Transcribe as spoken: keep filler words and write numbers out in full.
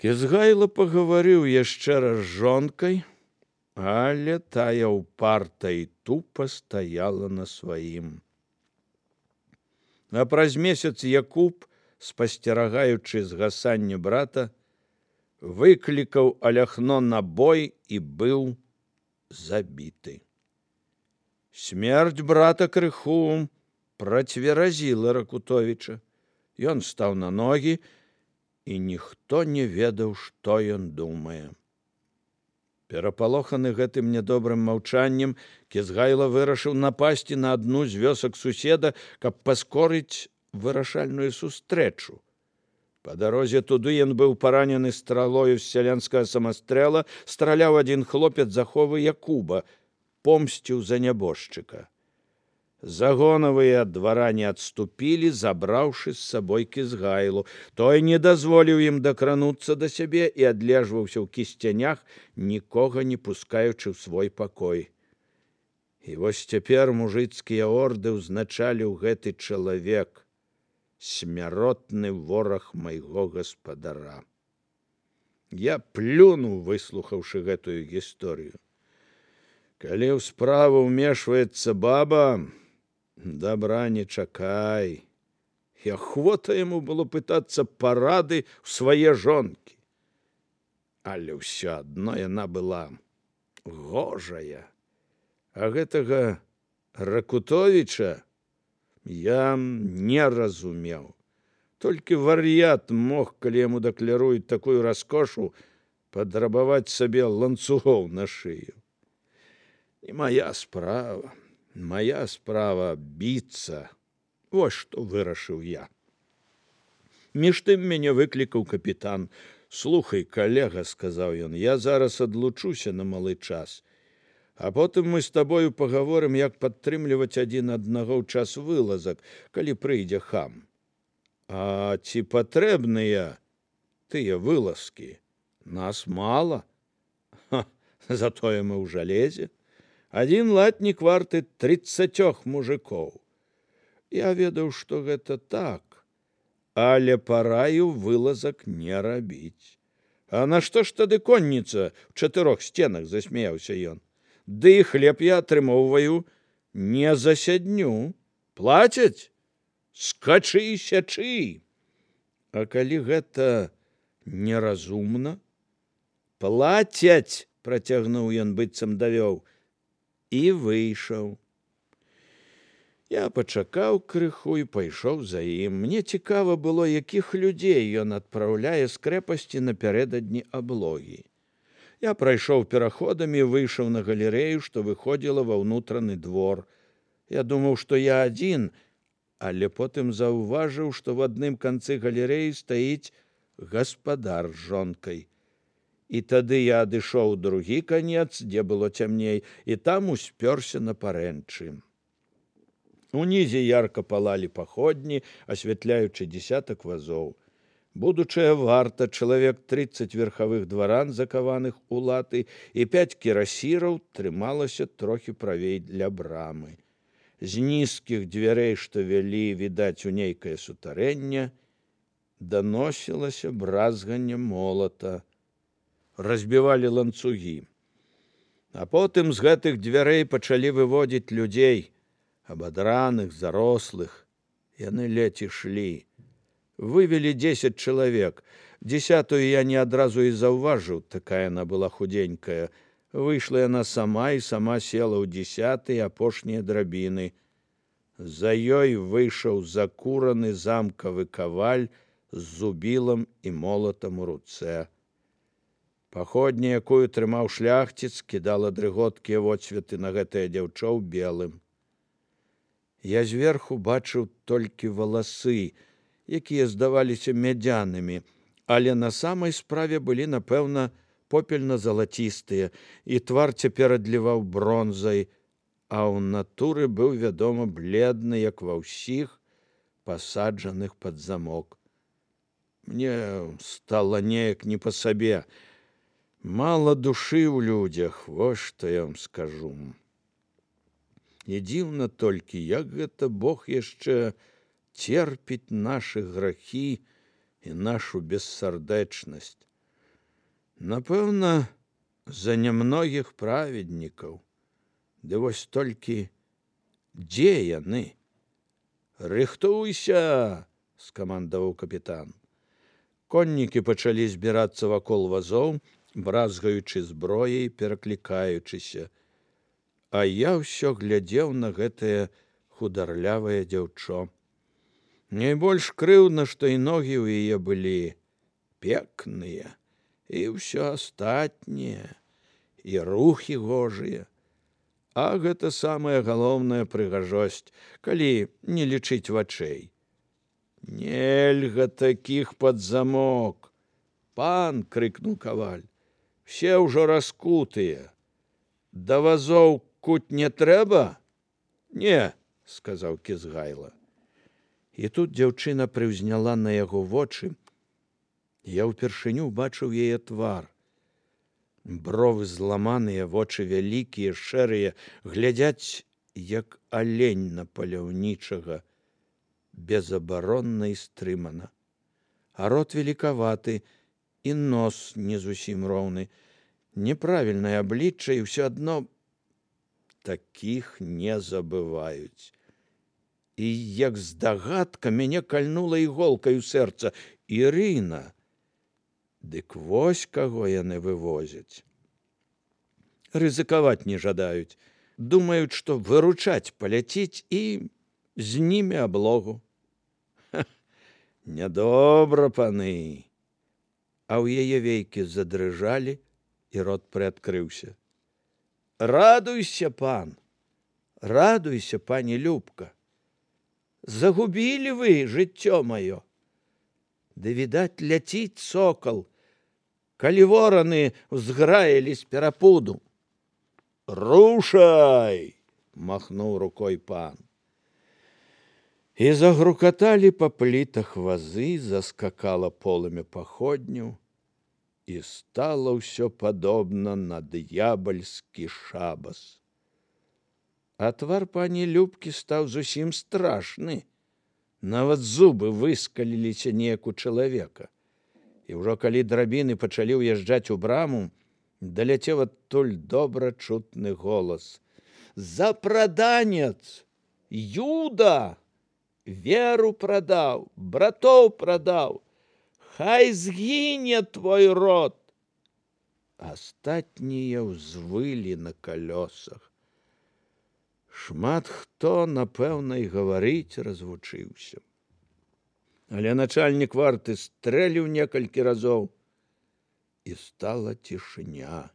Кізгайло пагаварыў яшчэ раз з жонкай, але тая ўпарта і тупа стаяла на сваім. А праз месяц Якуб, спасцерагаючы згасанне брата, выклікаў Аляхно на бой і быў забіты. Смерць брата крыху працверазіла Ракутовіча. Ён стаў на ногі, і ніхто не ведаў, што ён думае. Перапалоханы гэтым нядобрым маўчаннем, Кізгайло вырашыў напасці на адну з вёсак суседа, каб паскорыць вырашальную сустрэчу. Па дарозе туды ён быў паранены стралою з сялянскага самастрэла, страляў адзін хлопец заховы Якуба, помсціў за нябожчыка. Загонавыя дваране адступілі, забраўшы з сабой Кізгайлу. Той не дазволіў ім дакрануцца да сябе і адлежваўся ў кісцянях, нікога не пускаючы ў свой пакой. І вось цяпер мужыцкія орды ўзначаліў гэты чалавек, смяротны вораг майго гаспадара. Я плюнуў, выслухаўшы гэтую гісторыю. Калі ў справу ўмешваецца баба, добра не чакай. І ахвота яму было пытацца парады ў свае жонкі. Але ўсё адно яна была гожая. А гэтага Ракутовіча я не разумеў. Толькі вар'ят мог, калі яму дакляруюць такую раскошу, падрабаваць сабе ланцугоў на шыю. Не моя справа. Моя справа біцца. Вось што вырашыў я. Між тым мяне выклікаў капітан. Слухай, калега, сказаў ён, я зараз адлучуся на малы час. А потым мы з табою пагаворым, як падтрымліваць адзін аднаго ў час вылазак, калі прыйдзе хам. А ці патрэбныя тыя вылазкі? Нас мала. Ха, затое мы ў жалезе. Адзін латнік варты трыццацёх мужикоў. Я ведаў, што гэта так, але параю вылазак не рабіць. А нашто ж тады конніца ў чатырох сценах, засмяяўся ён. Ды і хлеб я атрымоўваю не за сядню. Плацяць? Скачы і сячы. А калі гэта неразумна? Плацяць, працягнуў ён, быццам давёў, і выйшаў. Я пачакаў крыху і пайшоў за ім. Мне цікава было, якіх людзей ён адпраўляе з крэпасці напярэдадні аблогі. Я прайшоў пераходамі, выйшаў на галерэю, што выходзіла ва ўнутраны двор. Я думаў, што я адзін, але потым заўважыў, што в адным канцы галерэі стаіць гаспадар з жонкай. І тады я адышоў другі канец, дзе было цямней, і там успёрся на парэнчы. Унізе ярка палалі паходні, асвятляючы дзесятак вазоў. Будучая варта, чалавек трыццаць верхавых дваран, закаваных у латы, і пяць кірасіраў трымалася трохі правей для брамы. З нізкіх дзвярэй, што вялі, відаць, у нейкае сутарэнне, даносілася бразганне молата. Разбівалі ланцугі. А потым з гэтых дзвярэй пачалі выводзіць людзей, абадраных, зарослых. Яны ледзь ішлі. Вывелі дзесяць чалавек. Дзесятую я не адразу і заўважыў, такая яна была худенькая. Выйшла яна сама і сама села ў дзесяты апошнія драбіны. За ёй выйшаў закураны замкавы каваль з зубілам і молатам у руцэ. Паходня, якую трымаў шляхціц, кідала дрыготкія водсветы на гэтае дзяўчо ў белым. Я зверху бачыў толькі валасы, якія здаваліся мядзянымі, але на самай справе былі, напэўна, попельна-залацістыя, і твар цяпер адліваў бронзай, а ў натуры быў, вядома, бледны, як ва ўсіх, пасаджаных пад замок. Мне стала неяк не па сабе. Мала душы ў людзях, вось што я вам скажу. І дзіўна толькі, як гэта Бог яшчэ церпіць нашы грахі і нашу бессардэчнасць. Напэўна, за нямногіх праведнікаў. Ды вось толькі дзе яны? Рыхтуйся, скамандаваў капітан. Коннікі пачалі збірацца вакол вазоў, бразгаючы зброяй, пераклікаючыся. А я ўсё глядзеў на гэтае хударлявае дзяўчо. Найбольш крыўдна, што і ногі ў яе былі пекныя, і ўсё астатняе, і рухі гожыя. А гэта самая галоўная прыгажосць, калі не лічыць вачэй. Нельга такіх пад замок. Пан, крыкнуў каваль, все ўжо раскутыя. Да вазоў куть не трэба? Не, сказаў Кізгайла. І тут дзяўчына прыўзняла на яго вочы. Я ўпершыню бачыў яе твар. Бровы зламаныя, вочы вялікія, шэрыя, глядзяць, як алень на паляўнічага, безабаронна і стрымана. А рот великаваты, і нос не зусім роўны. Неправільнае аблічча, і ўсё адно такіх не забываюць. І як здагадка мяне кальнула іголкай у сэрца. Ірына! Дык вось каго яны вывозяць. Рызыкаваць не жадаюць. Думаюць, што выручаць паляціць і з німі аблогу. Ха, нядобра, паны. А ў яе вейкі задрыжалі, і рот прыадкрыўся. Радуйся, пан! Радуйся, пані Любка! Загубілі вы жыццё маё. Ды, відаць, ляціць сокал, калі вораны ўзграілі з перапуду. Рушай! Махнуў рукой пан. І загрукаталі па плітах вазы, заскакала полымя паходняў, і стала ўсё падобна на д'ябальскі шабас. А твар пані Любкі стаў зусім страшны. Нават зубы выскаліліся неяк у чалавека. І ўжо калі драбіны пачалі ўязджаць у браму, даляцеў адтуль добра чутны голас. Запраданец! Юда! Веру прадаў, братоў прадаў! Хай згіне твой род! Астатнія ўзвылі на калёсах. Шмат хто, напэўна, і гаварыць развучыўся. Але начальнік варты стрэліў некалькі разоў, і стала цішыня.